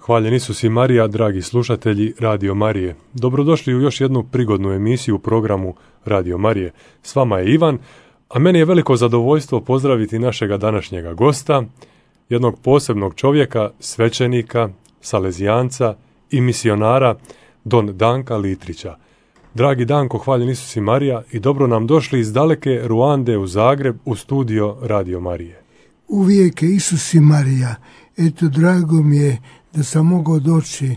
Hvaljen Isus i Marija, dragi slušatelji Radio Marije. Dobrodošli u još jednu prigodnu emisiju u programu Radio Marije. S vama je Ivan, a meni je veliko zadovoljstvo pozdraviti našega današnjega gosta, jednog posebnog čovjeka, svećenika, salezijanca i misionara, don Danka Litrića. Dragi Danko, hvaljen Isus i Marija i dobro nam došli iz daleke Ruande u Zagreb u studio Radio Marije. Uvijek je Isus i Marija. Eto, drago mi je da sam mogao doći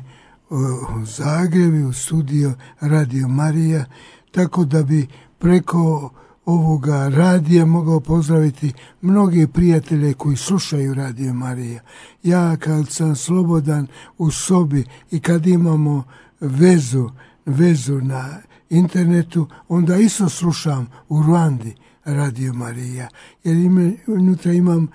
u Zagreb u studio Radio Marija, tako da bi preko ovoga radija mogao pozdraviti mnoge prijatelje koji slušaju Radio Marija. Ja kad sam slobodan u sobi i kad imamo vezu na internetu, onda isto slušam u Ruandi Radio Marija, jer unutra imam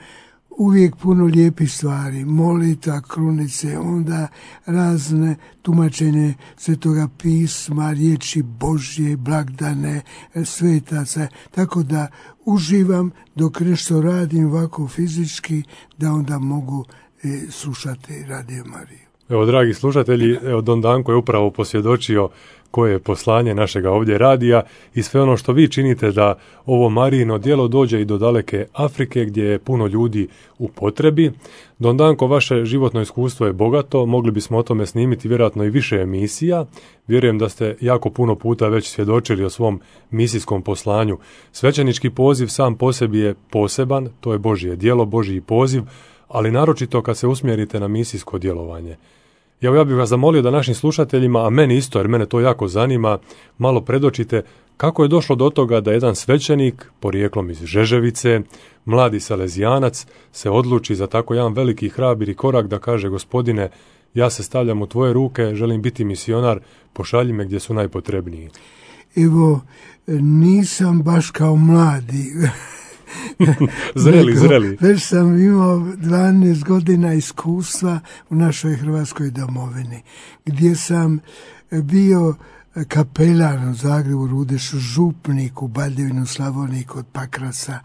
uvijek puno lijepih stvari, molita, krunice, onda razne tumačenje Svetoga pisma, riječi Božje, blagdane, svetaca, tako da uživam dok nešto radim ovako fizički, da onda mogu slušati Radio Mariju. Evo, dragi slušatelji, don Danko je upravo posvjedočio koje je poslanje našega ovdje radija i sve ono što vi činite da ovo Marijino djelo dođe i do daleke Afrike gdje je puno ljudi u potrebi. Don Danko, vaše životno iskustvo je bogato, mogli bismo o tome snimiti vjerojatno i više emisija. Vjerujem da ste jako puno puta već svjedočili o svom misijskom poslanju. Svećenički poziv sam po sebi je poseban, to je Božje djelo, Božji poziv, ali naročito kad se usmjerite na misijsko djelovanje. Ja bih vas zamolio da našim slušateljima, a meni isto, jer mene to jako zanima, malo predočite kako je došlo do toga da jedan svećenik, porijeklom iz Žeževice, mladi salezijanac, se odluči za tako jedan veliki hrabri korak da kaže: Gospodine, ja se stavljam u tvoje ruke, želim biti misionar, pošalji me gdje su najpotrebniji. Evo, nisam baš kao mladi. Zreli. Već sam imao 12 godina iskustva u našoj Hrvatskoj domovini, gdje sam bio kapelan u Zagrebu, Rudešu, župnik u Baljevinu, Slavoniji kod Pakraca,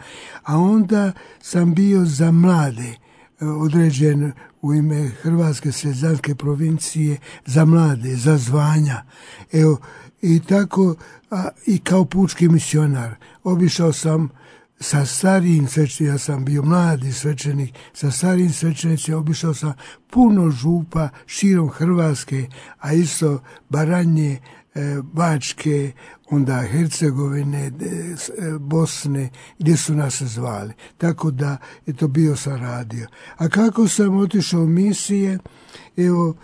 a onda sam bio za mlade određen u ime Hrvatske selezijanske provincije za mlade, za zvanja. Evo, i tako, i kao pučki misionar obišao sam sa starijim svećenicima, ja sam bio mladi svećenik, sa starijim svećenicima obišao sam puno župa širom Hrvatske, a isto Baranje, Bačke, onda Hercegovine, Bosne, gdje su nas zvali. Tako da je to bio sam radio. A kako sam otišao u misije, evo,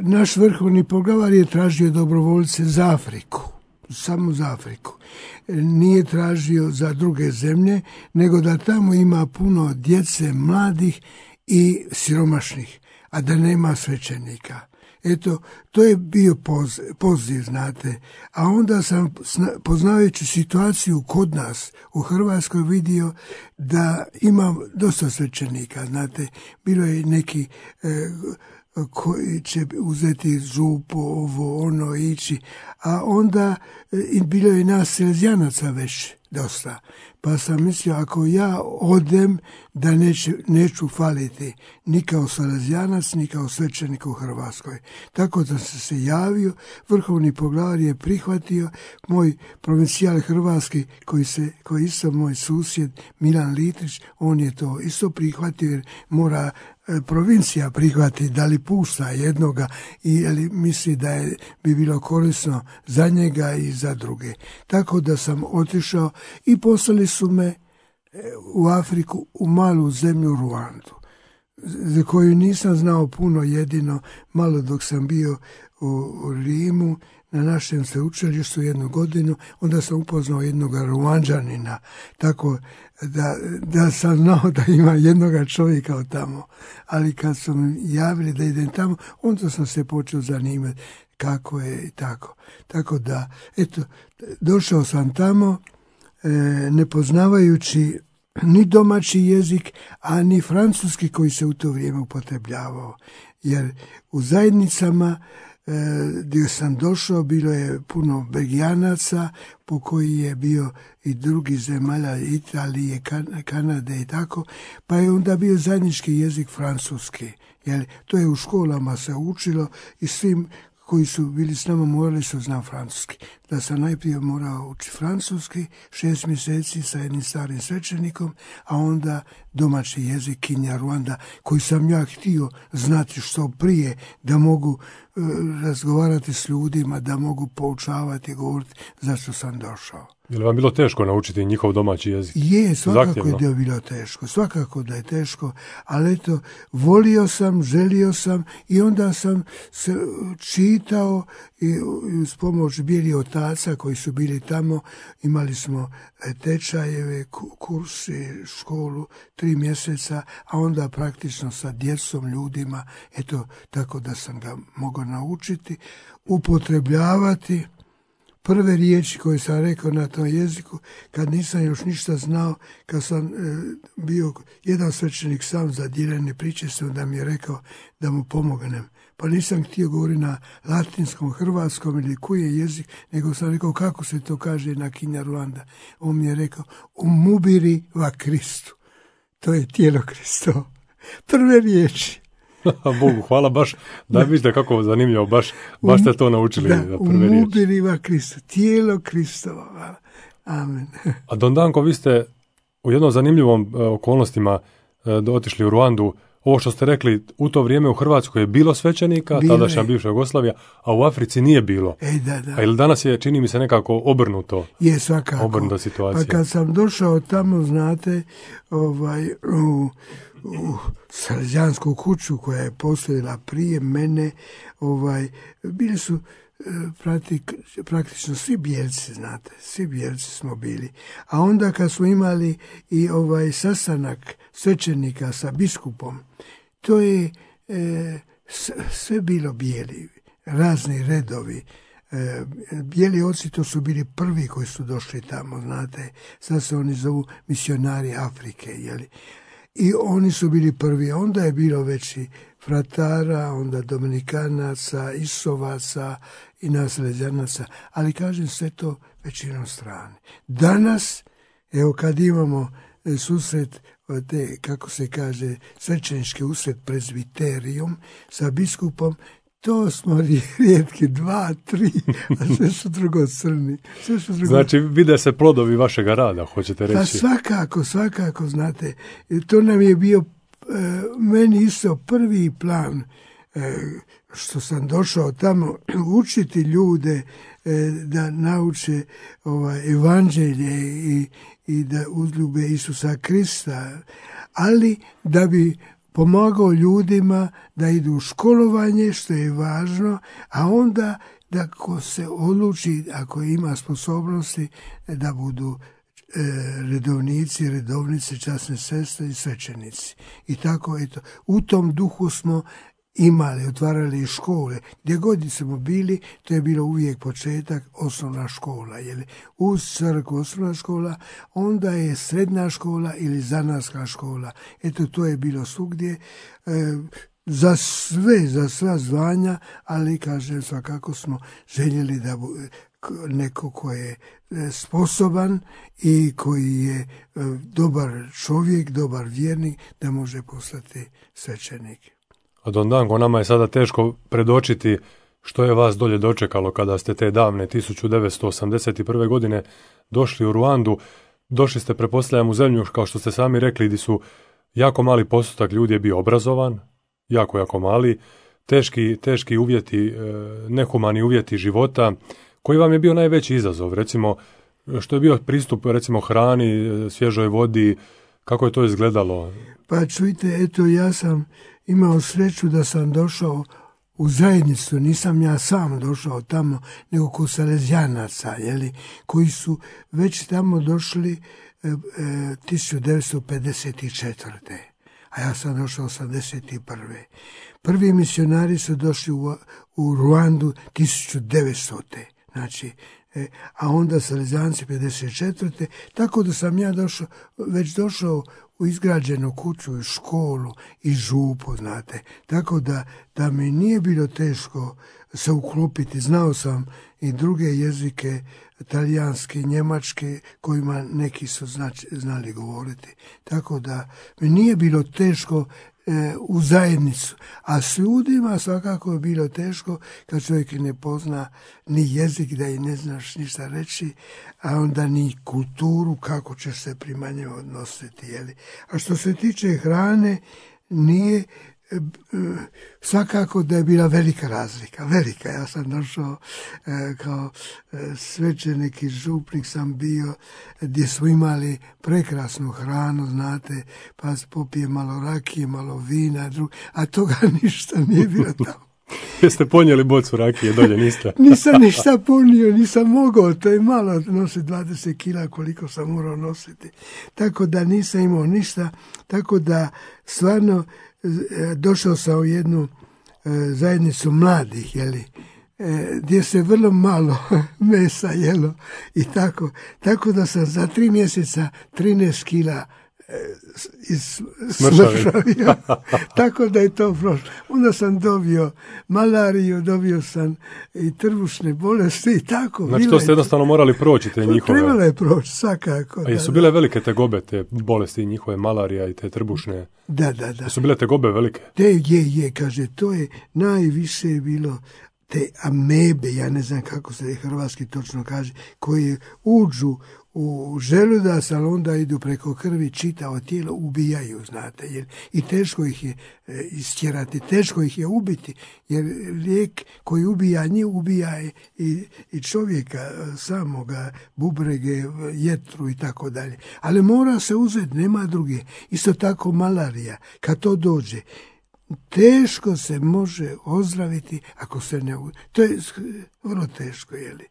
naš vrhovni poglavar je tražio dobrovoljce za Afriku. Samo za Afriku. Nije tražio za druge zemlje, nego da tamo ima puno djece, mladih i siromašnih, a da nema svećenika. Eto, to je bio poziv, znate. A onda sam, poznavajući situaciju kod nas u Hrvatskoj, vidio da ima dosta svećenika, znate. Bilo je neki koji će uzeti župu, ovo, ono, ići, a onda bilo je nas selezijanaca već dosta. Pa sam mislio, ako ja odem, da neću faliti ni kao salezijanac, ni kao svećenik u Hrvatskoj. Tako da sam se javio, vrhovni poglavar je prihvatio, moj provincijal hrvatski, koji je isto moj susjed, Milan Litrić, on je to isto prihvatio, jer mora provincija prihvati da li pušta jednoga ili misli da bi bilo korisno za njega i za druge. Tako da sam otišao i poslali su me u Afriku, u malu zemlju Ruandu, za koju nisam znao puno, jedino malo dok sam bio u Rimu na našem sveučilištu jednu godinu, onda sam upoznao jednog Ruanđanina, tako da sam znao da ima jednoga čovjeka od tamo. Ali kad su mi javili da idem tamo, onda sam se počeo zanimati kako je i tako. Tako da, eto, došao sam tamo, ne poznavajući ni domaći jezik, a ni francuski koji se u to vrijeme upotrebljavao. Jer u zajednicama gdje sam došao, bilo je puno Belgijanaca, po koji je bio i drugi zemalja, Italije, Kanade i tako, pa je onda bio zajednički jezik francuski. Jer to je u školama se učilo i svim koji su bili s nama morali su znati francuski. Da sam najprije morao učiti francuski, 6 mjeseci sa jednim starim svećenikom, a onda domaći jezik Kinyarwanda, koji sam ja htio znati što prije, da mogu razgovarati s ljudima, da mogu poučavati, govoriti zašto sam došao. Je li vam bilo teško naučiti njihov domaći jezik? Je, svakako je da je bilo teško, svakako da je teško, ali eto, volio sam, želio sam i onda sam se čitao i uz pomoć bijelih otaca koji su bili tamo, imali smo tečajeve, kursi, školu, 3 mjeseca, a onda praktično sa djecom, ljudima, eto, tako da sam ga mogao naučiti, upotrebljavati. Prve riječi koje sam rekao na tom jeziku, kad nisam još ništa znao, kad sam bio jedan svećenik sam za dijeljene priče, da mi je rekao da mu pomognem. Pa nisam htio govoriti na latinskom, hrvatskom ili koji je jezik, nego sam rekao kako se to kaže na Kinyarwanda. On mi je rekao, umubiri va Kristu. To je tijelo Kristovo. Prve riječi. Bogu hvala, baš da vidite kako zanimljivo, baš ste to naučili za prve riječi. Umubiriva Kristo, tijelo Kristovo. Amen. A Don Danko, vi ste u jednom zanimljivom okolnostima otišli u Ruandu. Ovo što ste rekli, u to vrijeme u Hrvatskoj je bilo svećenika, tadašnja bivša Jugoslavija, a u Africi nije bilo. Da. A ili danas je, čini mi se, nekako obrnuto? Je, svakako. Obrnuta situacija. Pa kad sam došao tamo, znate, u Salesijansku kuću koja je postojala prije mene, bili su praktično svi bijelci, znate, svi bijelci smo bili. A onda kad smo imali i sastanak svećenika sa biskupom, to je sve bilo bijeli, razni redovi. Bijeli oci to su bili prvi koji su došli tamo, znate, sad se oni zovu misionari Afrike, jeli. I oni su bili prvi, onda je bilo već i fratara, onda Dominikanaca, Isovaca i nas Salezijanaca, ali kažem sve to većinom strane. Danas, evo kad imamo susret, te, kako se kaže, svećenički usred prezbiterijom sa biskupom, to smo rijetki 2, 3, a sve su drugo crni. Znači, vide se plodovi vašega rada, hoćete reći? Pa svakako, znate. To nam je bio, meni isto prvi plan, što sam došao tamo učiti ljude da nauče evanđelje i da uzljube Isusa Krista, ali da bi pomagao ljudima da idu u školovanje, što je važno, a onda da ko se odluči, ako ima sposobnosti, da budu redovnici, redovnice, časne sestre i svećenici. I tako, eto, u tom duhu smo imali, otvarali škole. Gdje god smo bili, to je bilo uvijek početak, osnovna škola. Jeli? Uz crkvu osnovna škola, onda je srednja škola ili zanatska škola. Eto, to je bilo svugdje. Za sva zvanja, ali kažem, svakako smo željeli da neko ko je sposoban i koji je dobar čovjek, dobar vjernik, da može postati svećenik. A Don Danko, nama je sada teško predočiti što je vas dolje dočekalo kada ste te davne 1981. godine došli u Ruandu. Došli ste, pretpostavljam, u zemlju, kao što ste sami rekli, gdje su jako mali postotak ljudi je bio obrazovan, jako mali, teški uvjeti, nehumani uvjeti života. Koji vam je bio najveći izazov? Recimo, što je bio pristup, recimo, hrani, svježoj vodi, kako je to izgledalo? Pa čujte, eto, ja sam imao sreću da sam došao u zajednicu, nisam ja sam došao tamo, nego kod Salezijanaca, koji su već tamo došli 1954. A ja sam došao 1981. Prvi misionari su došli u Ruandu 1900. Znači, a onda Salezanci 54. Tako da sam ja već došao u izgrađenu kuću i školu i župu, znate. Tako da mi nije bilo teško se uklopiti. Znao sam i druge jezike, talijanski, njemački, kojima neki su znali govoriti. Tako da mi nije bilo teško u zajednicu. A s ljudima svakako je bilo teško kad čovjek ne pozna ni jezik, da i ne znaš ništa reći, a onda ni kulturu, kako ćeš se prema njoj odnositi. Jeli? A što se tiče hrane, nije svakako da je bila velika razlika. Velika. Ja sam došao kao svećenik i župnik sam bio gdje smo imali prekrasnu hranu, znate, pa popije malo rakije, malo vina, a toga ništa nije bilo tamo. Jeste ponijeli bocu rakije dolje, niste? Nisam ništa ponio, nisam mogao, to je malo nositi 20 kila koliko sam morao nositi. Tako da nisam imao ništa, tako da stvarno došao sam u jednu zajednicu mladih, jeli, gdje se vrlo malo mesa jelo i tako da sam za 3 mjeseca 13 kila smršavio. Tako da je to prošlo. Onda sam dobio malariju, dobio sam i trbušne bolesti i tako. Znači to ste jednostavno morali proći te njihove. Trebalo je proći, svakako. A jesu bile velike tegobe, te bolesti njihove, malarija i te trbušne? Da. Jesu bile tegobe velike? Kaže, to je najviše bilo te amebe, ja ne znam kako se hrvatski točno kaže, koje uđu u želudac, ali onda idu preko krvi, čitavo tijelo, ubijaju, znate, jer i teško ih je istjerati, teško ih je ubiti, jer lijek koji ubija njih, ubija i čovjeka samoga, bubrege, jetru i tako dalje. Ali mora se uzeti, nema druge. Isto tako malarija, kad to dođe, teško se može ozdraviti ako se ne... To je vrlo teško, jeli?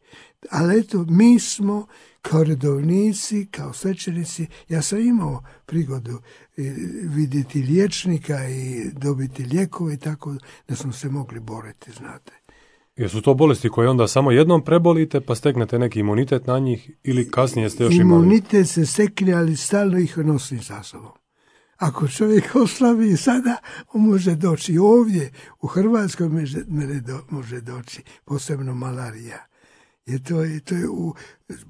Ali eto, mi smo kao redovnici, kao svećenici, ja sam imao prigodu vidjeti liječnika i dobiti lijekove, tako da smo se mogli boriti, znate. Jesu to bolesti koje onda samo jednom prebolite pa steknete neki imunitet na njih ili kasnije ste još imali? Imunitet se stekne, ali stalno ih nosim sa sobom. Ako čovjek oslabi sada, on može doći ovdje, u Hrvatskoj može doći, posebno malarija. Jer to je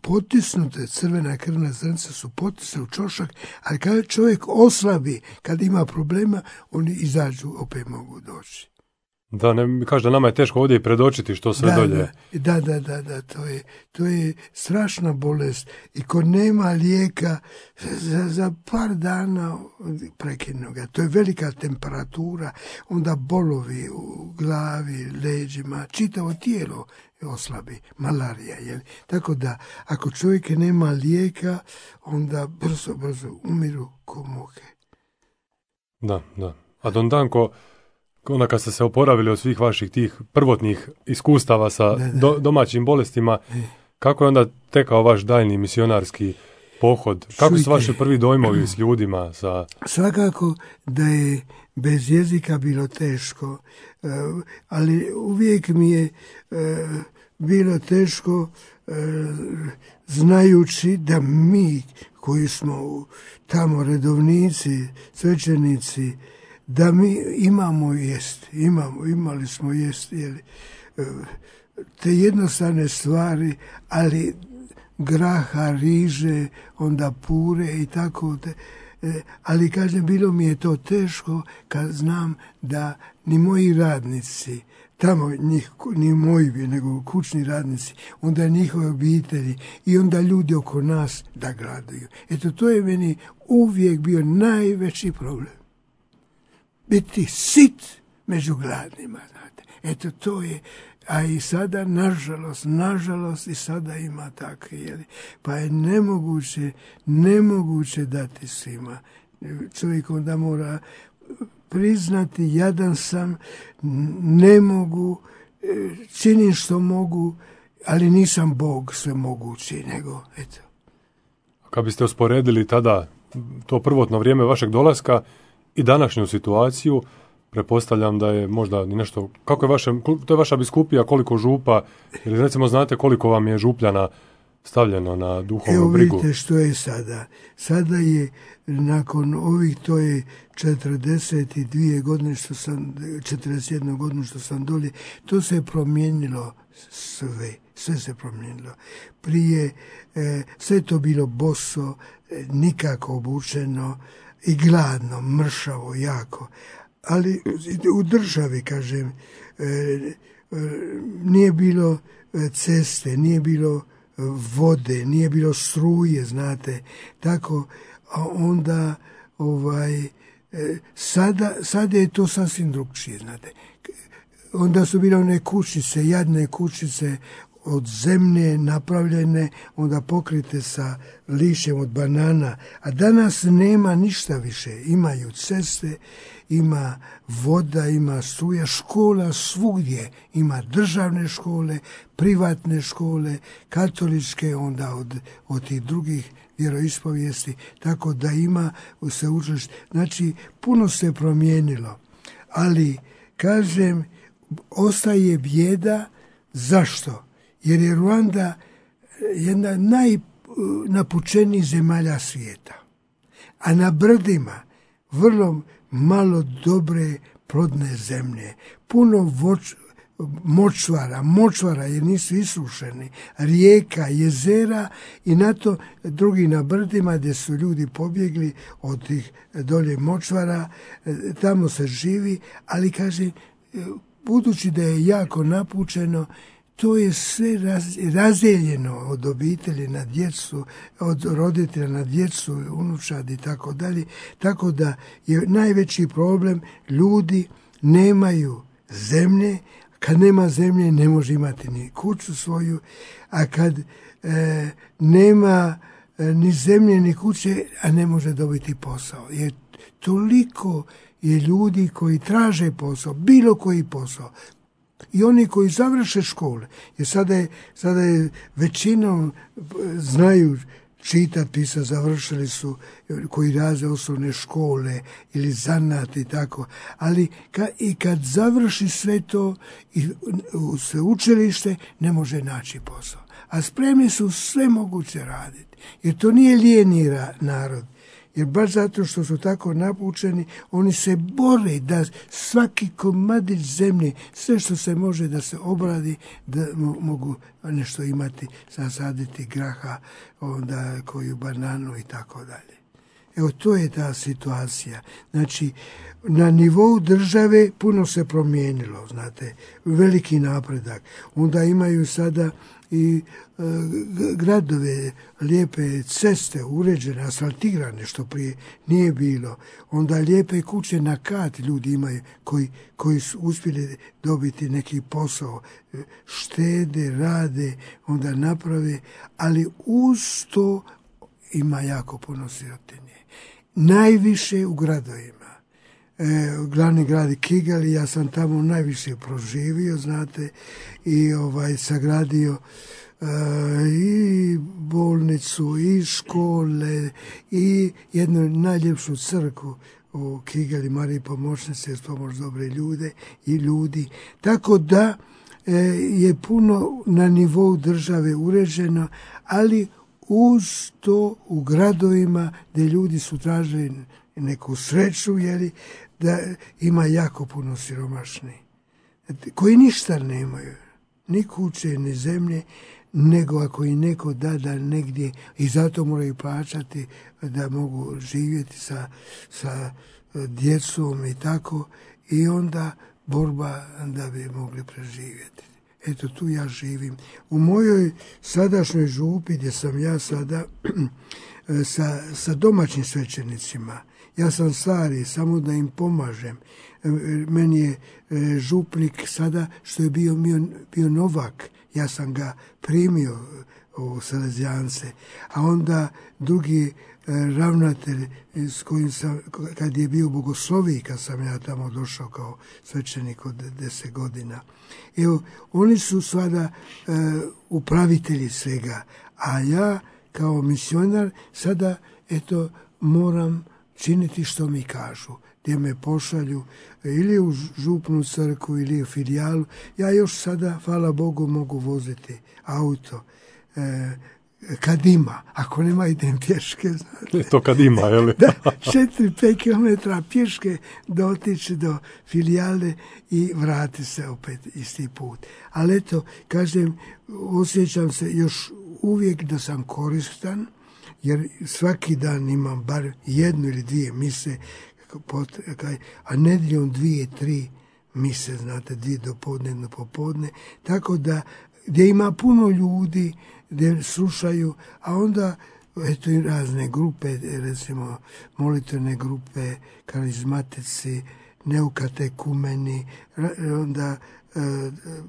potisnute, crvena krvna zrnca su potisne u čošak, ali kad čovjek oslabi, kad ima problema, oni izađu, opet mogu doći. Da, kaže da nama je teško ovdje i predočiti što sve dolje. Da, to je strašna bolest i ko nema lijeka za par dana prekinu ga. To je velika temperatura, onda bolovi u glavi, leđima, čitavo tijelo oslabi, malarija. Jel? Tako da, ako čovjek nema lijeka, onda brzo umiru ko muhe. Da. A Don Danko, onda kad ste se oporavili od svih vaših tih prvotnih iskustava sa domaćim bolestima, kako je onda tekao vaš daljni misionarski pohod? Kako su vaši prvi dojmovi s ljudima? Svakako da je bez jezika bilo teško, ali uvijek mi je bilo teško znajući da mi koji smo tamo redovnici, svećenici, da mi imamo jesti, imali smo jesti, te jednostavne stvari, ali graha, riže, onda pure i tako. Ali kažem, bilo mi je to teško kad znam da ni moji radnici, tamo ni moji, nego kućni radnici, onda njihove obitelji i onda ljudi oko nas da gladuju. Eto, to je meni uvijek bio najveći problem. Biti sit među gladnima, znate. Eto, to je, a i sada, nažalost, i sada ima takve, jeli. Pa je nemoguće dati svima. Čovjek onda mora priznati, jadan sam, ne mogu, činim što mogu, ali nisam Bog svemogući, nego, eto. Kad biste usporedili tada to prvotno vrijeme vašeg dolaska i današnju situaciju, Pretpostavljam da je možda nešto, kako je to je vaša biskupija, koliko župa, ili recimo znate koliko vam je župljana stavljeno na duhovnu brigu? Evo vidite što je sada. Sada je, nakon ovih, to je 42 godine 41 godinu što sam dolje, to se je promijenilo sve se promijenilo. Prije sve to bilo boso, nikako obučeno i gladno, mršavo, jako. Ali u državi, kažem, nije bilo ceste, nije bilo vode, nije bilo struje, znate, tako, a onda sada je to sasvim drugčije, znate. Onda su bile one kućice, jadne kućice od zemlje napravljene, onda pokrite sa lišćem od banana, a danas nema ništa više. Imaju ceste, ima voda, ima struja, škola svugdje, ima državne škole, privatne škole, katoličke, onda od tih drugih vjeroispovijesti, tako da ima sveučilište. Znači, puno se promijenilo, ali, kažem, ostaje bijeda. Zašto? Jer je Ruanda jedna najnapučenijih zemalja svijeta. A na brdima vrlo malo dobre plodne zemlje. Puno močvara jer nisu isušeni, rijeka, jezera i na to drugi na brdima gdje su ljudi pobjegli od tih dolje močvara, tamo se živi, ali kaže, budući da je jako napučeno, to je sve razdijeljeno od obitelji na djecu, od roditelja na djecu, unučad i tako dalje. Tako da je najveći problem, ljudi nemaju zemlje, kad nema zemlje ne može imati ni kuću svoju, a kad nema ni zemlje ni kuće, a ne može dobiti posao. Jer toliko je ljudi koji traže posao, bilo koji posao, i oni koji završe škole, jer sada je većinom znaju čitati, pisati, završili su, koji raze osnovne škole ili zanat i tako, ali i kad završi sve to i u sveučilište ne može naći posao. A spremni su sve moguće raditi, jer to nije lijeni narod. Jer baš zato što su tako napučeni, oni se bore da svaki komadić zemlje, sve što se može da se obradi, da mogu nešto imati, zasaditi graha, onda koju bananu i tako dalje. Evo, to je ta situacija. Znači, na nivou države puno se promijenilo, znate, veliki napredak. Onda imaju sada i gradove, lijepe ceste, uređene, asfaltirane, što prije nije bilo. Onda lijepe kuće na kat ljudi imaju koji su uspjeli dobiti neki posao, štede, rade, onda naprave, ali uz to ima jako puno sirotinje. Najviše u gradovima. Glavni grad Kigali, ja sam tamo najviše proživio, znate, i sagradio i bolnicu, i škole, i jednu najljepšu crkvu u Kigali, Mariji Pomoćnice, s pomoć dobre ljude i ljudi. Tako da je puno na nivou države uređeno, ali uz to u gradovima gdje ljudi su tražili neku sreću, da ima jako puno siromašnih, koji ništa nemaju, ni kuće, ni zemlje, nego ako i neko da negdje, i zato moraju plaćati da mogu živjeti sa djecom i tako, i onda borba da bi mogli preživjeti. Eto, tu ja živim. U mojoj sadašnjoj župi, gdje sam ja sada, sa domaćim svećenicima, ja sam stari, samo da im pomažem. Meni je župnik sada, što je bio novak, ja sam ga primio u Salezijance, a onda drugi ravnatelj s kojim sam, kad je bio bogosloviji, kad sam ja tamo došao kao svećenik od 10 godina. Evo, oni su sada upravitelji svega, a ja kao misionar sada, eto, moram činiti što mi kažu. gdje me pošalju ili u župnu crkvu ili u filijalu. Ja još sada, hvala Bogu, mogu voziti auto. Kad ima, ako nema idem pješke. Znate. To kad ima, je li? Da, 4-5 kilometra pješke da otići do filijale i vrati se opet isti put. Ali eto, kažem, osjećam se još uvijek da sam koristan, jer svaki dan imam bar jednu ili dvije mise, a nedjeljom 2-3 mise, znate, 2 dopodne, jedno popodne, tako da gdje ima puno ljudi, gdje slušaju, a onda eto i razne grupe, recimo molitvene grupe, karizmatici, neukatekumeni, onda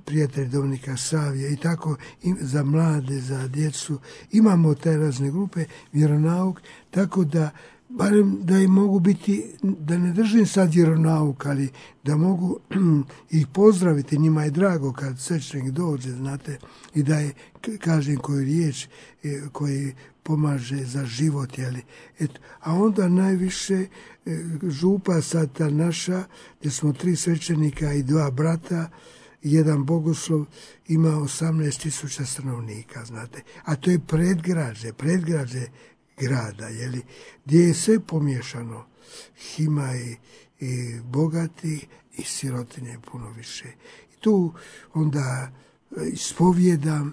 prijatelji Dominika Savija i tako za mlade, za djecu. Imamo te razne grupe, vjeronauk, tako da barem da i mogu biti, da ne držim sad vjeronauk, ali da mogu ih pozdraviti, njima je drago kad svećenik dođe, znate, i da je, kažem koju riječ koji pomaže za život, jeli. Eto, a onda najviše župa sad ta naša, gdje smo 3 svećenika i 2 brata, jedan bogoslov, ima 18.000 stanovnika, znate, a to je predgrađe grada, jeli, gdje je sve pomiješano. Ima i bogati i sirotinje puno više. I tu onda ispovjedam,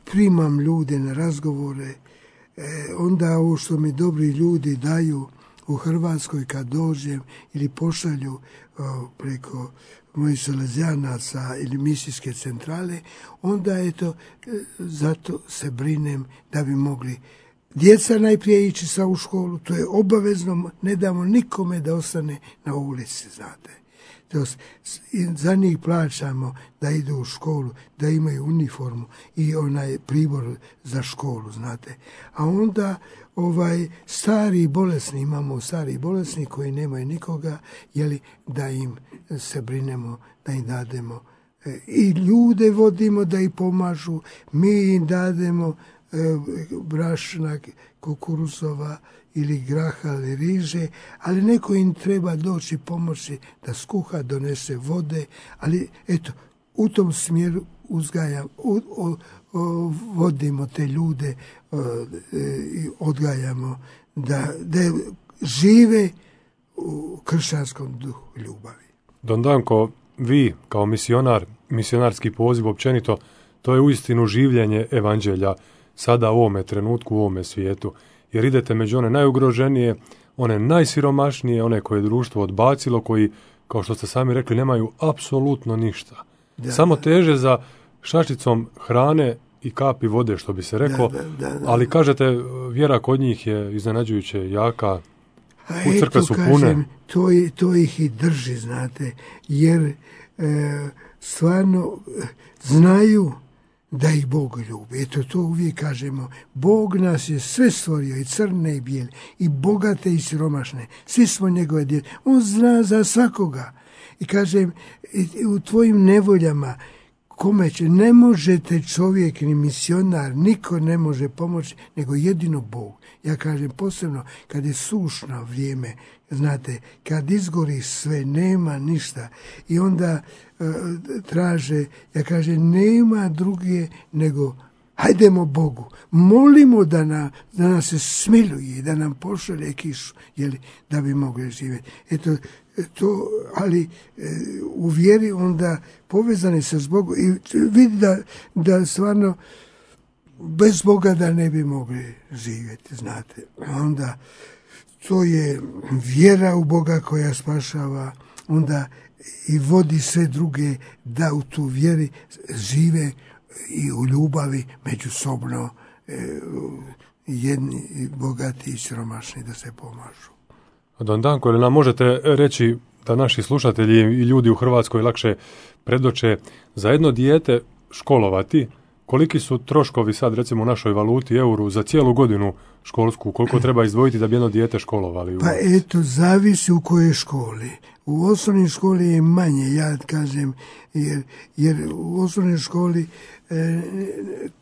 primam ljude na razgovore, onda ovo što mi dobri ljudi daju u Hrvatskoj kad dođem ili pošalju preko mojih salezijanaca ili misijske centrale, onda je to, zato se brinem da bi mogli djeca najprije ići sa u školu, to je obavezno, ne damo nikome da ostane na ulici, znate. Za njih plaćamo da idu u školu, da imaju uniformu i onaj pribor za školu, znate. A onda stari bolesni, imamo stari bolesni koji nemaju nikoga, jeli, da im se brinemo, da im dademo. I ljude vodimo da ih pomažu, mi im dademo brašna, kukuruzova ili graha ili riže, ali neko im treba doći pomoći da skuha, donese vode, ali eto, u tom smjeru uzgajam, vodimo te ljude i odgajamo da žive u kršćanskom duhu ljubavi. Don Danko, vi kao misionar, misionarski poziv općenito, to je uistinu življenje evanđelja sada u ovome trenutku, u ovome svijetu. Jer idete među one najugroženije, one najsiromašnije, one koje je društvo odbacilo, koji, kao što ste sami rekli, nemaju apsolutno ništa. Samo teže za šačicom hrane i kapi vode, što bi se reklo, ali kažete, vjera kod njih je iznenađujuće jaka, u crkve su pune. Kažem, to ih i drži, znate, jer stvarno znaju da ih Bog ljubi. Eto, to uvijek kažemo. Bog nas je sve stvorio, i crne i bijele, i bogate i siromašne. Svi smo njegove djece. On zna za svakoga. I kažem, u tvojim nevoljama, kome će, ne možete čovjek ni misionar, niko ne može pomoći, nego jedino Bog. Ja kažem, posebno kad je sušno vrijeme, znate, kad izgori sve, nema ništa, i onda traže, ja kažem, nema druge nego hajdemo Bogu, molimo da nas se smiluje, da nam pošalje kišu, jeli, da bi mogli živjeti. Eto, to, ali u vjeri onda povezani sa s Bogom i vidi da stvarno bez Boga da ne bi mogli živjeti, znate. Onda to je vjera u Boga koja spašava, onda i vodi sve druge da u tu vjeri žive i u ljubavi međusobno, jedni bogati i siromašni da se pomažu. Don Danko, ili nam možete reći da naši slušatelji i ljudi u Hrvatskoj lakše predoče za jedno dijete školovati, koliki su troškovi sad recimo u našoj valuti, euru, za cijelu godinu školsku, koliko treba izdvojiti da bi jedno dijete školovali? Pa eto, zavisi u kojoj školi. U osnovnoj školi je manje, ja kažem, jer u osnovnoj školi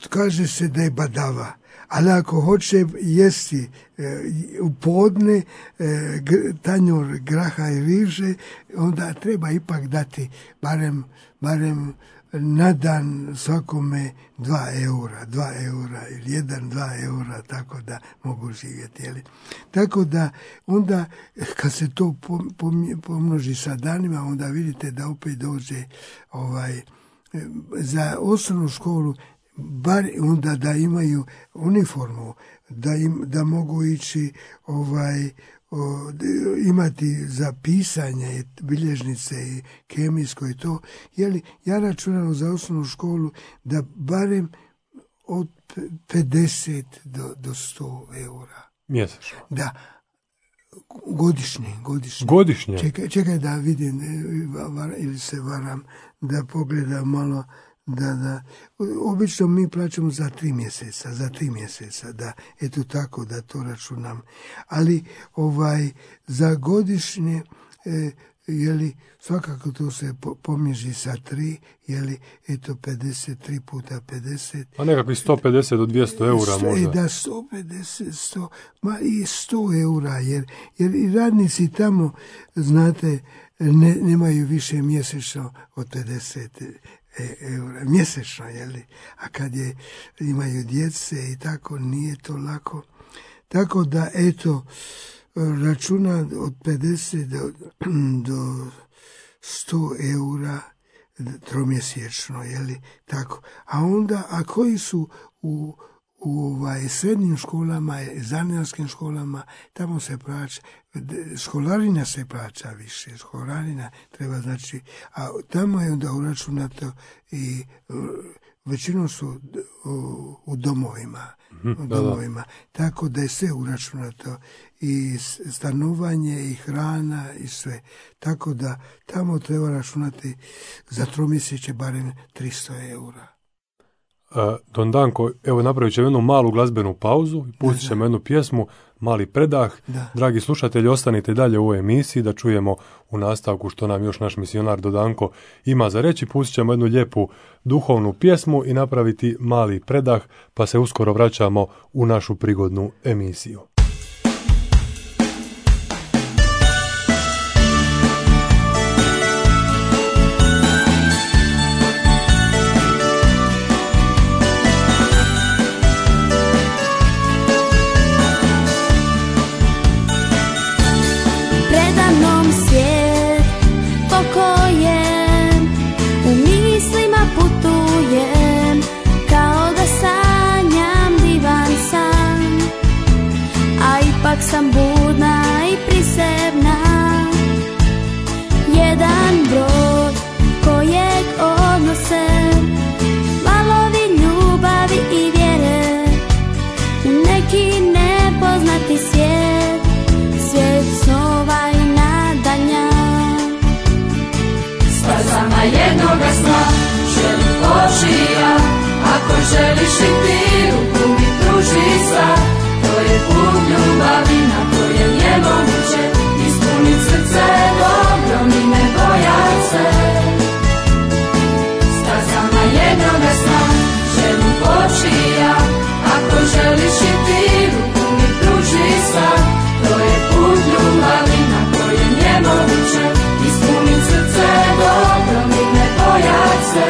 kaže se da je badava, Ali ako hoće jesti u podne tanjur graha i riže, onda treba ipak dati barem na dan svakome 2 eura ili 2 eura, tako da mogu živjeti. Jeli? Tako da onda kad se to pomnoži sa danima, onda vidite da opet dođe za osnovnu školu, bar onda da imaju uniformu, da mogu ići imati za pisanje, bilježnice i kemijsko i to. Jeli, ja računam za osnovnu školu da barem od 50 do 100 eura. Mjesečno? Da. Godišnje? Čekaj da vidim, ili se varam, da pogledam malo. Da. Obično mi plaćamo za 3 mjeseca, da, eto tako da to računam. Ali za godišnje, jeli, svakako to se pomnoži sa 3, jeli, eto 53 puta 50. A nekakvih 150 do 200 eura možda. Da, 150, 100, i 100 eura, jer i radnici tamo, znate, nemaju više mjesečno od 50 eura mjesečno, jeli? A kad imaju djece i tako, nije to lako. Tako da, eto, računa od 50 do 100 eura tromjesečno, jeli? Tako. A onda, a koji su u srednjim školama, zanimarskim školama, tamo se plaća, školarina se plaća više, školarina treba, znači, a tamo je onda uračunato i većinom su u domovima, tako da je sve uračunato, i stanovanje, i hrana, i sve. Tako da tamo treba računati za tromjeseče barem 300 eura. Don Danko, evo napravit ćemo jednu malu glazbenu pauzu i pustit ćemo jednu pjesmu, mali predah. Da. Dragi slušatelji, ostanite dalje u ovoj emisiji da čujemo u nastavku što nam još naš misionar Don Danko ima za reći. Pustit ćemo jednu lijepu duhovnu pjesmu i napraviti mali predah, pa se uskoro vraćamo u našu prigodnu emisiju. Sam budna i prisebna, jedan brod kojeg odnose valovi ljubavi i vjere u neki nepoznati svijet, svijet snova i nadanja. Stazama jednoga sna želim poći ja, ako želiš i ti ruku mi pruži sad. To je put ljubavi na kojem je moguće ispunit srce dobro i ne bojat se. Stazama jednoga sna želim poći ja, ako želiš i ti ruku mi pruži sad. To je put ljubavi na kojem je moguće ispunit srce dobro i ne bojat se.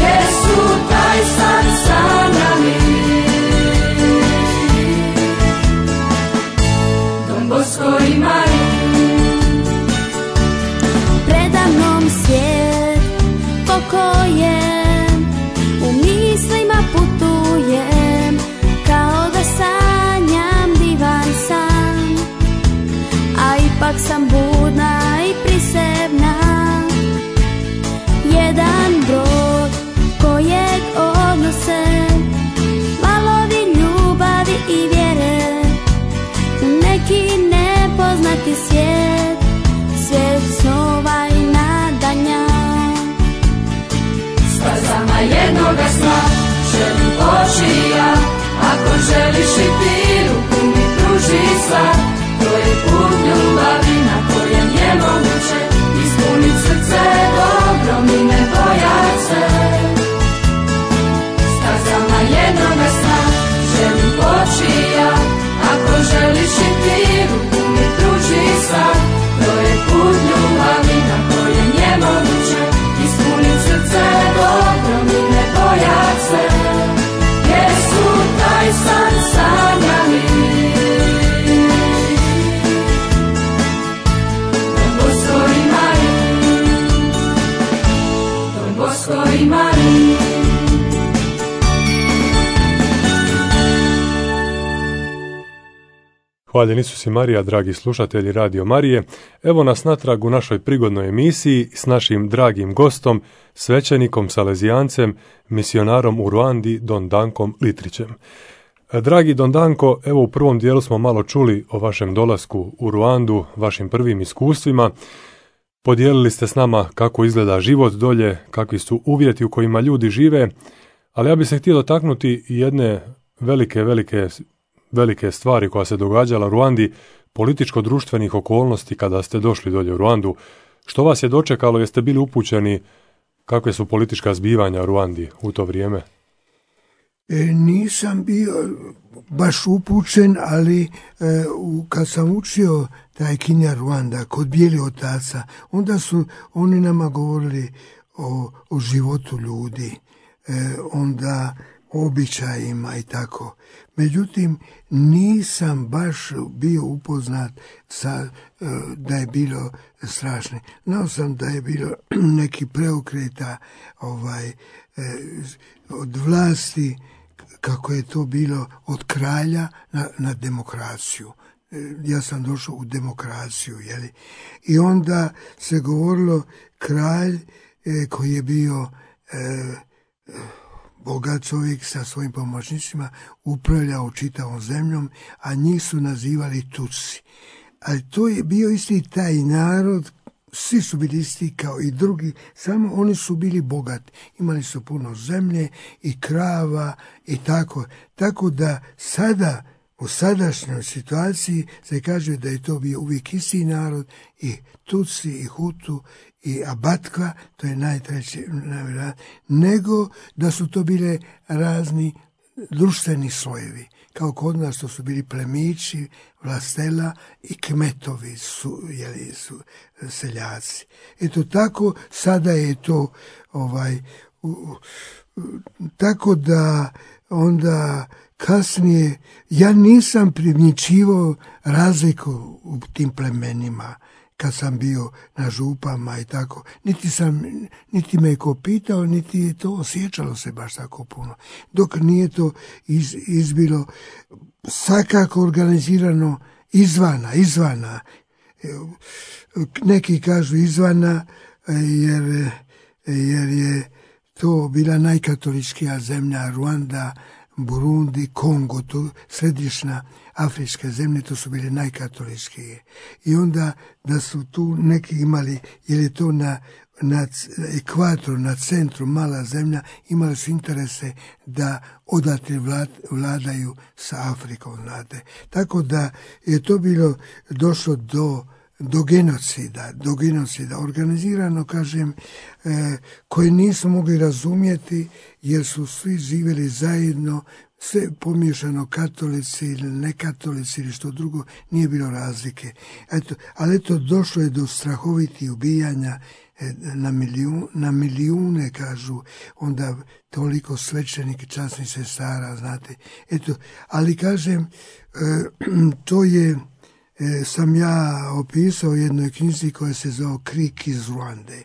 Jesu taj san sanjali Bosko i Marija. Preda mnom svijet po kojem u mislima putujem, kao da sanjam divan san, a ipak sam budna i prisebna, jedan brod kojeg odnose valovi ljubavi i vjere u neki nepoznati svijet, svijet snova i nadanja. Stazama jednoga sna želim poći ja, ako želiš i ti ruku mi pruži sad. To je put ljubavi na kojem je moguće ispunit srce dobro i ne bojat se. Stazama jednoga sna želim Hvaljen Isus i Marija, dragi slušatelji Radio Marije. Evo nas natrag u našoj prigodnoj emisiji s našim dragim gostom, svećenikom, salezijancem, misionarom u Ruandi, Don Dankom Litrićem. Dragi Don Danko, evo u prvom dijelu smo malo čuli o vašem dolasku u Ruandu, vašim prvim iskustvima. Podijelili ste s nama kako izgleda život dolje, kakvi su uvjeti u kojima ljudi žive, ali ja bih se htio dotaknuti jedne velike stvari koja se događala u Ruandi, političko-društvenih okolnosti kada ste došli dolje u Ruandu. Što vas je dočekalo, jeste bili upućeni kakve su politička zbivanja u Ruandi u to vrijeme? Nisam bio baš upućen, ali kad sam učio taj Kinja Ruanda kod Bijeli otaca, onda su oni nama govorili o životu ljudi, onda običajima i tako. Međutim, nisam baš bio upoznat da je bilo strašno. Znao sam da je bilo neki preokreta od vlasti, kako je to bilo od kralja na demokraciju. Ja sam došao u demokraciju, jeli? I onda se govorilo kralj koji je bio bogat čovjek sa svojim pomoćnicima, upravljao čitavom zemljom, a njih su nazivali Tutsi. Ali to je bio isti taj narod, svi su bili isti kao i drugi, samo oni su bili bogati. Imali su puno zemlje i krava i tako. Tako da sada, u sadašnjoj situaciji, se kaže da je to bio uvijek isti narod, i Tutsi, i Hutu, i Abatkva, to je najtreće, nego da su to bile razni društveni slojevi. Kao kod nas to su bili plemići, vlastela i kmetovi, su seljaci. Eto tako, sada je to tako da onda kasnije ja nisam primjećivao razliku u tim plemenima kad sam bio na župama i tako. Niti me je ko pitao, niti je to osjećalo se baš tako puno. Dok nije to izbilo svakako organizirano izvana. Neki kažu izvana jer je to bila najkatoličkija zemlja, Ruanda, Burundi, Kongo, to središnja afričke zemlje, to su bile najkatoličkije. I onda da su tu neki imali, jer je to na ekvatoru, na centru, mala zemlja, imali su interese da odatle vladaju sa Afrikom, znate. Tako da je to bilo došlo do genocida, organizirano, kažem, koje nisu mogli razumjeti, jer su svi živjeli zajedno, sve pomiješano, katolici ili nekatolici ili što drugo, nije bilo razlike. Ali došlo je do strahovitih ubijanja, na milijune, kažu, onda toliko svećenika, časnih sestara, znate. Ali kažem, to je sam ja opisao u jednoj knjizi koja se zove Krik iz Ruande.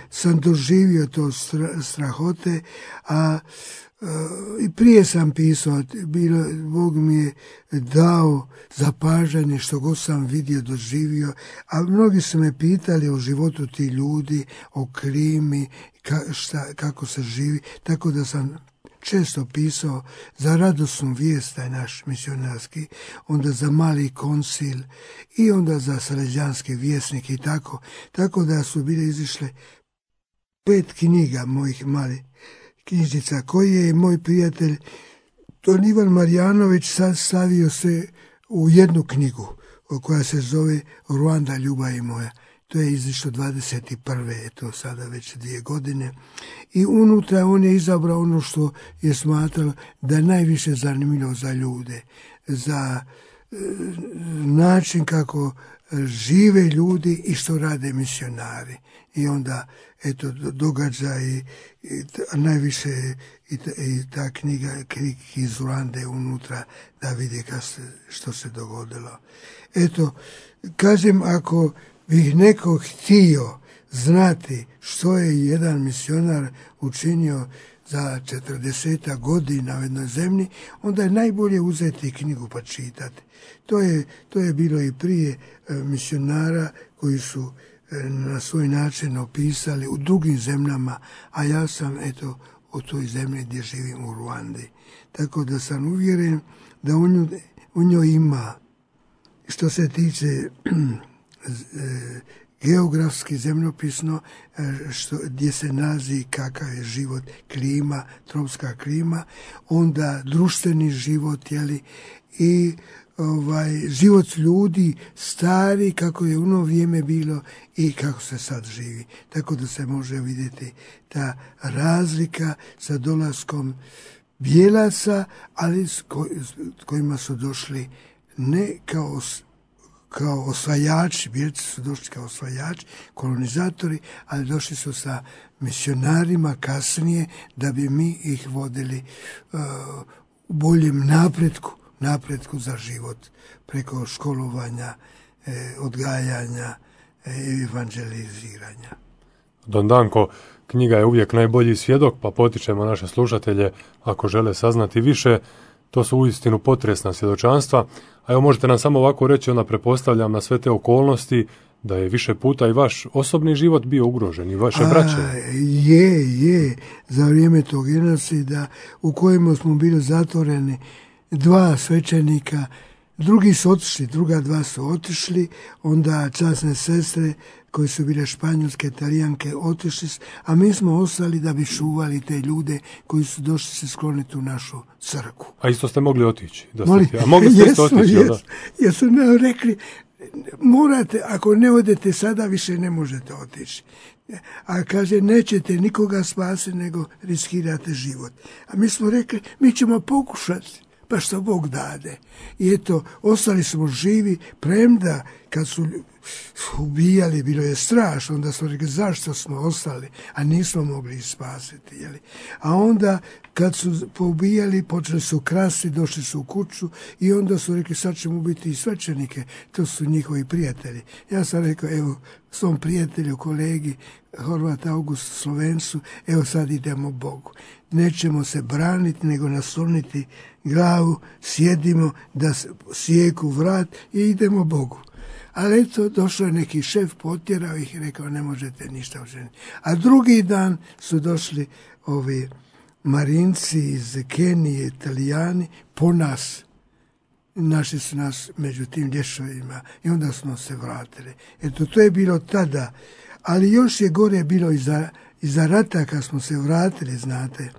Sam doživio to strahote, a i prije sam pisao, Bog mi je dao zapažanje što god sam vidio, doživio, a mnogi su me pitali o životu tih ljudi, o klimi, kako se živi, tako da sam često pisao za radosnu vijest, taj naš misionarski, onda za mali koncil i onda za salezijanski vjesnik i tako da su bile izišle 5 knjiga mojih malih knjižnica, koji je moj prijatelj Don Ivan Marjanović sad stavio se u jednu knjigu koja se zove Ruanda, ljubav moja. To je izišlo 21. to sada već 2 godine. I unutra on je izabrao ono što je smatrao da je najviše zanimljivo za ljude, za način kako žive ljudi i što rade misionari. I onda, događaj najviše i ta knjiga Krik iz Ruande unutra, da vidi što se dogodilo. Kažem, ako bih neko htio znati što je jedan misionar učinio za 40 godina u jednoj zemlji, onda je najbolje uzeti knjigu pa čitati. To je bilo i prije misionara koji su na svoj način opisali u drugim zemljama, a ja sam u toj zemlji gdje živim u Ruandi. Tako da sam uvjeren da u njoj ima, što se tiče geografski, zemljopisno, gdje se nalazi kakav je život, klima, tropska klima, onda društveni život, i život ljudi stari, kako je u ono vrijeme bilo i kako se sad živi. Tako da se može vidjeti ta razlika sa dolaskom bijelaca, ali s kojima su došli ne kao osvajači, bijelci su došli kao osvajači, kolonizatori, ali došli su sa misionarima kasnije da bi mi ih vodili u boljem napretku za život, preko školovanja, odgajanja i evanđeliziranja. Don Danko, knjiga je uvijek najbolji svjedok, pa potičemo naše slušatelje, ako žele saznati više. To su uistinu potresna svjedočanstva. A evo, možete nam samo ovako reći, onda pretpostavljam na sve te okolnosti, da je više puta i vaš osobni život bio ugrožen i vaše braće. Je. Za vrijeme tog genocida u kojemu smo bili zatvoreni, 2 svećenika, drugi su otišli, druga 2 su otišli, onda časne sestre koje su bile španjolske, Talijanke, otišli, a mi smo ostali da bi čuvali te ljude koji su došli se skloniti u našu crkvu. A isto ste mogli otići? A mogli ste isto otići? Jer su nam rekli, morate, ako ne odete sada, više ne možete otići. A kaže, nećete nikoga spasiti, nego riskirate život. A mi smo rekli, mi ćemo pokušati, pa što Bog dade. I eto, ostali smo živi, premda kad su ubijali, bilo je strašno, onda smo rekli, zašto smo ostali, a nismo mogli ih spasiti. A onda, kad su poubijali, počeli su krasti, došli su u kuću i onda su rekli, sad ćemo ubiti i svećenike, to su njihovi prijatelji. Ja sam rekao, evo, svom prijatelju, kolegi, Horvat August, Slovencu, evo sad idemo Bogu. Nećemo se braniti, nego nasloniti glavu, sjedimo da sijeku vrat i idemo Bogu. Ali eto, došao je neki šef, potjerao ih i rekao, ne možete ništa učiniti. A drugi dan su došli ovi Marinci iz Kenije, Italijani, po nas. Našli su nas među tim lješovima i onda smo se vratili. Eto, to je bilo tada. Ali još je gore bilo iza rata kad smo se vratili, znate.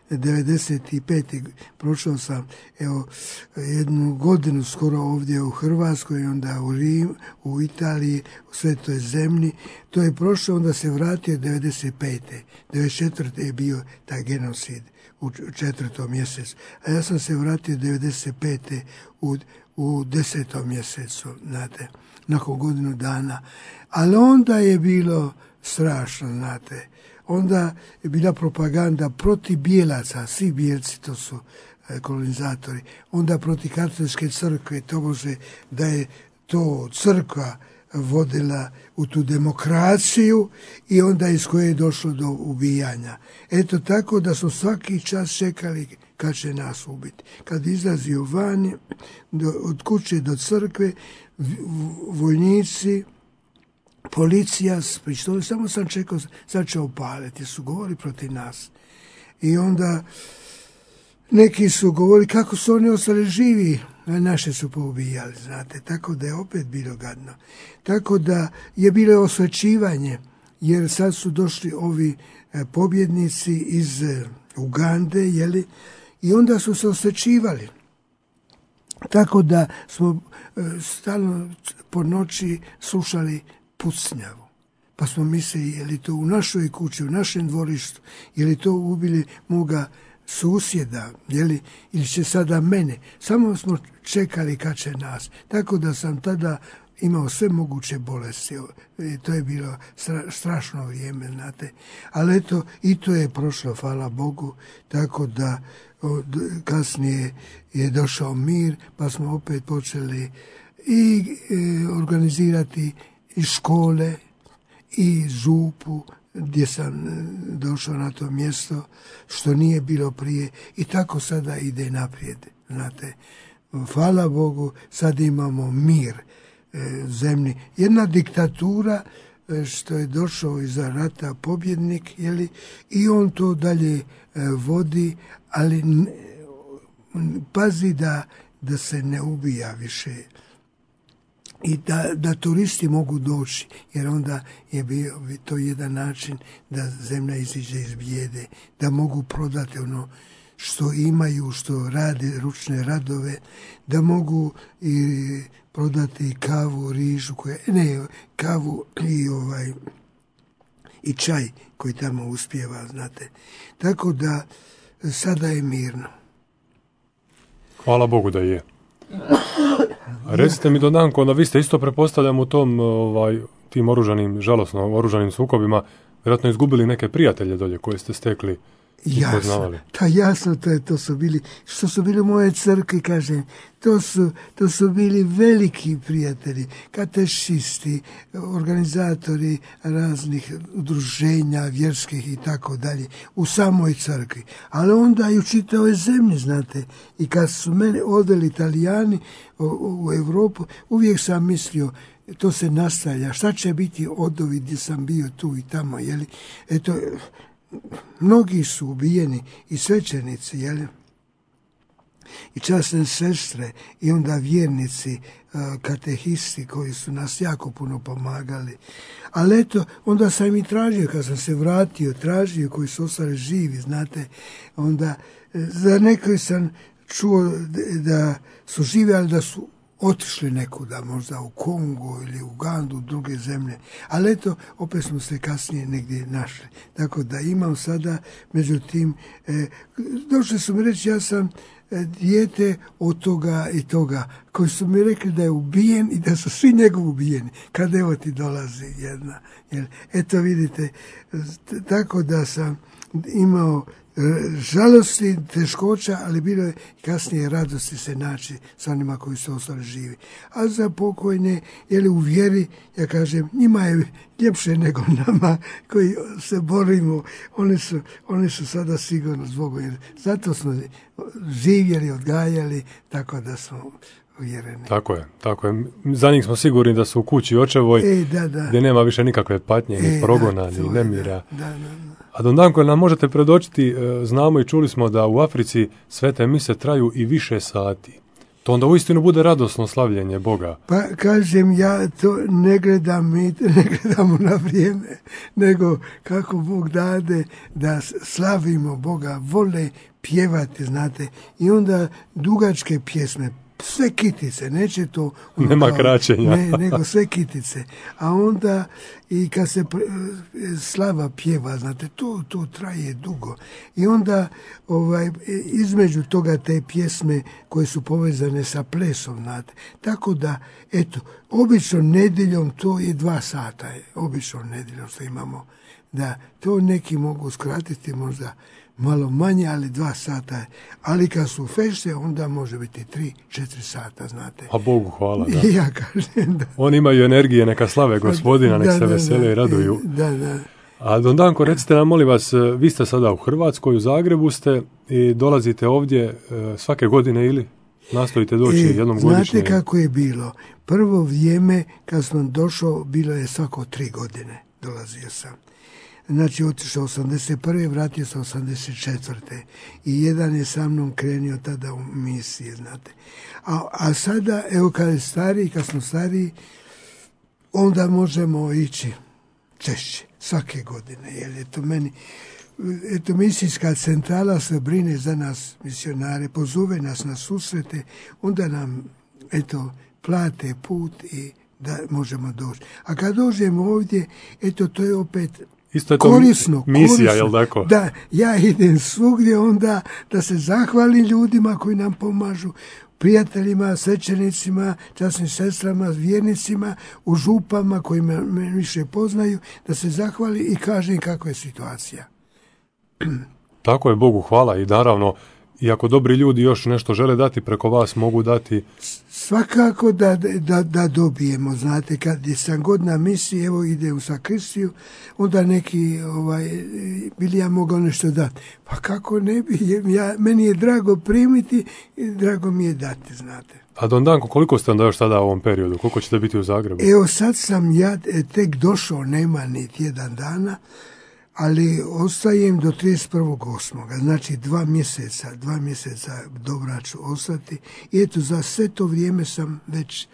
95. prošao sam jednu godinu skoro ovdje u Hrvatskoj, onda u Rim, u Italiji, u Svetoj zemlji. To je prošlo, onda se vratio 95. 94. je bio taj genocid u 4. mjesecu. A ja sam se vratio 95. u 10. mjesecu, znate, nakon godinu dana. Ali onda je bilo strašno, znate. Onda je bila propaganda protiv bijelaca, svi bijelci, to su kolonizatori, onda protiv katoličke crkve, to može da je to crkva vodila u tu demokraciju i onda iz koje je došlo do ubijanja. Eto tako da smo svaki čas čekali kad će nas ubiti. Kad izlazio vani, od kuće do crkve, vojnici, policija s pištoljem, samo sam čekao, sad će opaliti, su govorili protiv nas. I onda neki su govorili kako su oni ostali živi, a naše su poubijali, znate, tako da je opet bilo gadno. Tako da je bilo osvećivanje, jer sad su došli ovi pobjednici iz Ugande, i onda su se osvećivali. Tako da smo stalno po noći slušali pucnjavu. Pa smo mislili, je li to u našoj kući, u našem dvorištu, je li to ubili moga susjeda, ili će sada mene. Samo smo čekali kad će nas. Tako da sam tada imao sve moguće bolesti. To je bilo strašno vrijeme, znate. Ali eto, i to je prošlo, hvala Bogu, tako da kasnije je došao mir, pa smo opet počeli i organizirati i škole, i župu, gdje sam došao na to mjesto, što nije bilo prije, i tako sada ide naprijed. Znate, hvala Bogu, sad imamo mir zemlji. Jedna diktatura što je došao iza rata pobjednik, jeli, i on to dalje vodi, ali pazi da se ne ubija više i da turisti mogu doći, jer onda je bio to jedan način da zemlja iziđe iz bijede, da mogu prodati ono što imaju, što rade ručne radove, da mogu i prodati kavu, rižu, kavu i čaj koji tamo uspijeva, znate. Tako da sada je mirno. Hvala Bogu da je. Recite mi, Dondanko, da vi ste isto, pretpostavljam, u tom tim žalosno oružanim sukobima vjerojatno izgubili neke prijatelje dolje koje ste stekli i poznavali. Jasno, to su bili, što su bili moje crkve, kažem, to su bili veliki prijatelji, katešisti, organizatori raznih udruženja vjerskih i tako dalje, u samoj crkvi. Ali onda i u čitavoj zemlji, znate, i kad su mene odveli Italijani u Europu, uvijek sam mislio, to se nastavlja, šta će biti od ovih gdje sam bio tu i tamo, jeli? Eto, mnogi su ubijeni i svećenici, jeli? I časne sestre, i onda vjernici, katehisti koji su nas jako puno pomagali. Ali eto, onda sam i tražio, kad sam se vratio, tražio koji su ostali živi, znate, onda za nekoj sam čuo da su živi, ali da su otišli nekuda, možda u Kongo ili u Ugandu, druge zemlje. Ali eto, opet smo se kasnije negdje našli. Tako da imam sada, međutim, došli su mi reći, ja sam dijete od toga i toga, koji su mi rekli da je ubijen i da su svi njegovi ubijeni. Kad evo ti dolazi jedna. Eto vidite, tako da sam imao žalosti, teškoća, ali bilo je kasnije radosti se naći sa onima koji su ostali živi. A za pokojne, u vjeri, ja kažem, njima je ljepše nego nama koji se borimo. Oni su sada sigurno zbog, jer zato smo živjeli, odgajali, tako da smo uvjereni. Tako je. Za njih smo sigurni da su u kući očevoj, gdje nema više nikakve patnje, ni progona, ni nemira. Da. A Dondanko, nam možete predočiti, znamo i čuli smo da u Africi svete mise traju i više sati. To onda uistinu bude radosno slavljenje Boga. Pa kažem, ja to ne gledamo na vrijeme, nego kako Bog dade da slavimo Boga, vole pjevati, znate, i onda dugačke pjesme, sve kitice, neće to... Nema kraćenja. Nego sve kitice. A onda i kad se slava pjeva, znate, to traje dugo. I onda između toga te pjesme koje su povezane sa plesom, znate. Tako da, eto, obično nedjeljom to je 2 sata. Obično nedjeljom što imamo. Da, to neki mogu skratiti možda malo manje, ali 2 sata. Ali kad su fešte, onda može biti 3-4 sata, znate. A Bogu hvala, da. Ja kažem, da. Oni imaju energije, neka slave Gospodina, nek se vesele i raduju. Da. A Dondanko, recite nam, molim vas, vi ste sada u Hrvatskoj, u Zagrebu ste i dolazite ovdje svake godine ili nastojite doći jednom godišnje? Znate kako je bilo? Prvo vrijeme kad sam došao, bilo je svako 3 godine. Dolazio sam. Znači, otišao 81. vratio sam 84. I jedan je sa mnom krenio tada u misije, znate. A sada, evo kad smo stariji, onda možemo ići češće, svake godine. Jer eto, misijska centrala se brine za nas, misionare, pozove nas na susrete, onda nam, plate put i da možemo doći. A kad dođemo ovdje, to je opet isto je to korisno. Jel tako? Da, ja idem svugdje onda da se zahvalim ljudima koji nam pomažu, prijateljima, svećenicima, časnim sestrama, vjernicima, u župama koji me više poznaju, da se zahvali i kažem kakva je situacija. Tako je, Bogu hvala, i naravno I ako dobri ljudi još nešto žele dati preko vas, mogu dati? Svakako da dobijemo, znate, kad sam god na misiji, evo ide u sakristiju, onda neki, bili ja mogao nešto dati. Pa kako ne bi, meni je drago primiti i drago mi je dati, znate. A Don Danko, koliko ste onda još sada u ovom periodu? Koliko ćete biti u Zagrebu? Evo sad sam ja tek došao, nema ni tjedan dana, ali ostajem do 31.8. Znači 2 mjeseca dobra ću ostati. I eto, za sve to vrijeme sam već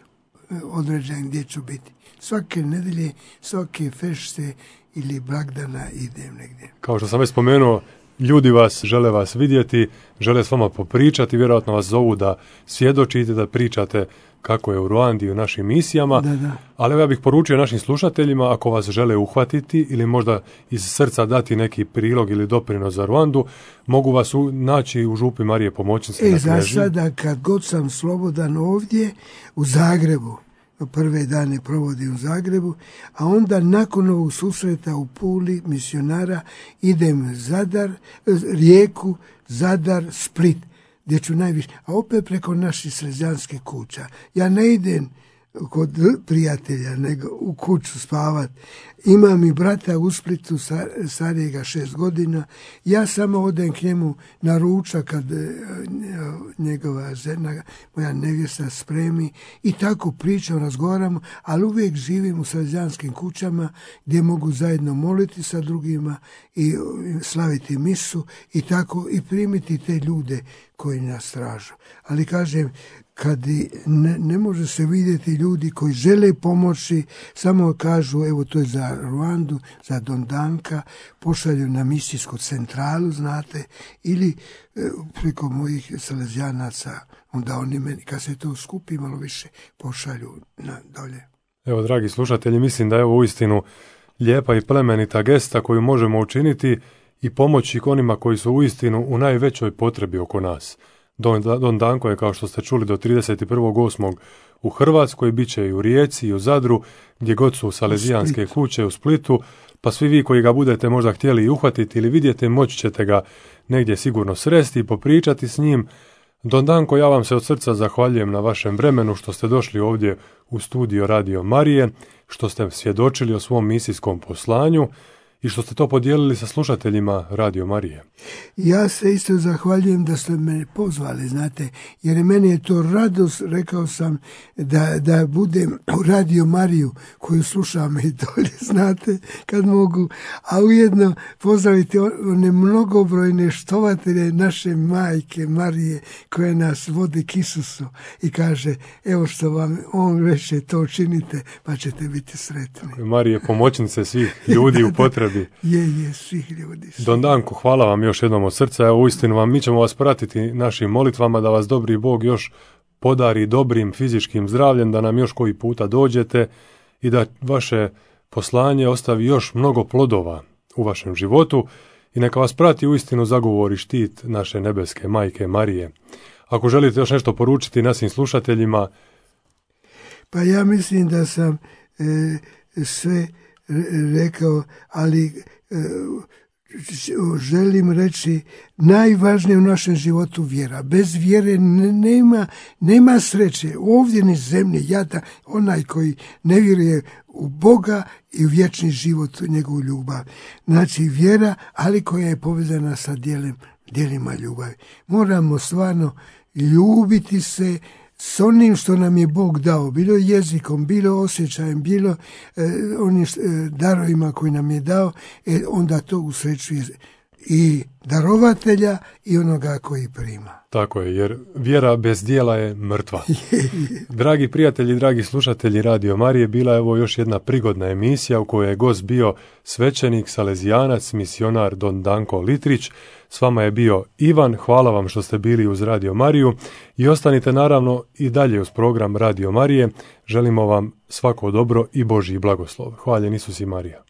određen gdje ću biti. Svake nedelje, svake fešte ili blagdana idem negdje. Kao što sam već spomenuo, ljudi žele vas vidjeti, žele s vama popričati, vjerojatno vas zovu da svjedočite, da pričate kako je u Ruandi i u našim misijama, Da. ali ja bih poručio našim slušateljima, ako vas žele uhvatiti ili možda iz srca dati neki prilog ili doprinos za Ruandu, mogu vas naći u župi Marije Pomoćnice na Knežiji. Za sada, kad god sam slobodan ovdje, u Zagrebu, prve dane provodim u Zagrebu, a onda nakon ovog susreta u Puli misionara idem Zadar, Rijeku, Zadar, Split, gdje ću najviše, a opet preko naših salezijanskih kuća. Ja ne idem kod prijatelja, nego u kuću spavat. Imam i brata u Splitu, starijega 6 godina. Ja samo odem k njemu na ručak kad njegova žena, moja nevjesta, spremi i tako pričam, razgovaramo, ali uvijek živim u salezijanskim kućama gdje mogu zajedno moliti sa drugima i slaviti misu i tako i primiti te ljude koji nas tražu. Ali kažem, kad ne može se vidjeti ljudi koji žele pomoći, samo kažu, evo to je za Ruandu, za Don Danka, pošalju na misijsku centralu, znate, ili preko mojih salezijanaca, onda oni meni, kad se to skupi malo više, pošalju dolje. Evo, dragi slušatelji, mislim da je ovo uistinu lijepa i plemenita gesta koju možemo učiniti i pomoći onima koji su uistinu u najvećoj potrebi oko nas. Don Danko je, kao što ste čuli, do 31.8. u Hrvatskoj, bit će i u Rijeci i u Zadru, gdje god su salezijanske kuće, u Splitu, pa svi vi koji ga budete možda htjeli i uhvatiti ili vidjeti, moći ćete ga negdje sigurno sresti i popričati s njim. Don Danko, ja vam se od srca zahvaljujem na vašem vremenu što ste došli ovdje u studio Radio Marije, što ste svjedočili o svom misijskom poslanju i što ste to podijelili sa slušateljima Radio Marije. Ja se isto zahvaljujem da ste me pozvali, znate, jer meni je to radost, rekao sam, da budem u Radio Mariju koju slušam i dolje, znate, kad mogu, a ujedno pozdraviti one mnogobrojne štovatelje naše majke Marije koje nas vodi k Isusu i kaže, evo što vam on reče, to činite, pa ćete biti sretni. Marije, pomoćnice svih ljudi u potrebi. Je, svih ljudi. Don Danko, hvala vam još jednom od srca. Evo, uistinu mi ćemo vas pratiti našim molitvama da vas dobri Bog još podari dobrim fizičkim zdravljem, da nam još koji puta dođete i da vaše poslanje ostavi još mnogo plodova u vašem životu i neka vas prati uistinu zagovor i štit naše nebeske majke Marije. Ako želite još nešto poručiti našim slušateljima. Pa ja mislim da sam sve rekao, ali želim reći, najvažnije u našem životu vjera. Bez vjere nema sreće. Ovdje ni zemlje, jada, onaj koji ne vjeruje u Boga i u vječni život, njegovu ljubav. Znači vjera, ali koja je povezana sa djelima ljubavi. Moramo stvarno ljubiti se s onim što nam je Bog dao, bilo jezikom, bilo osjećajem, bilo onim darovima koji nam je dao, onda to usrećuje i darovatelja i onoga koji prima. Tako je, jer vjera bez djela je mrtva. Dragi prijatelji, dragi slušatelji Radio Marije, bila je ovo još jedna prigodna emisija u kojoj je gost bio svećenik, salezijanac, misionar Don Danko Litrić. S vama je bio Ivan, hvala vam što ste bili uz Radio Mariju i ostanite naravno i dalje uz program Radio Marije. Želimo vam svako dobro i Božji blagoslov. Hvaljen Isus i Marija.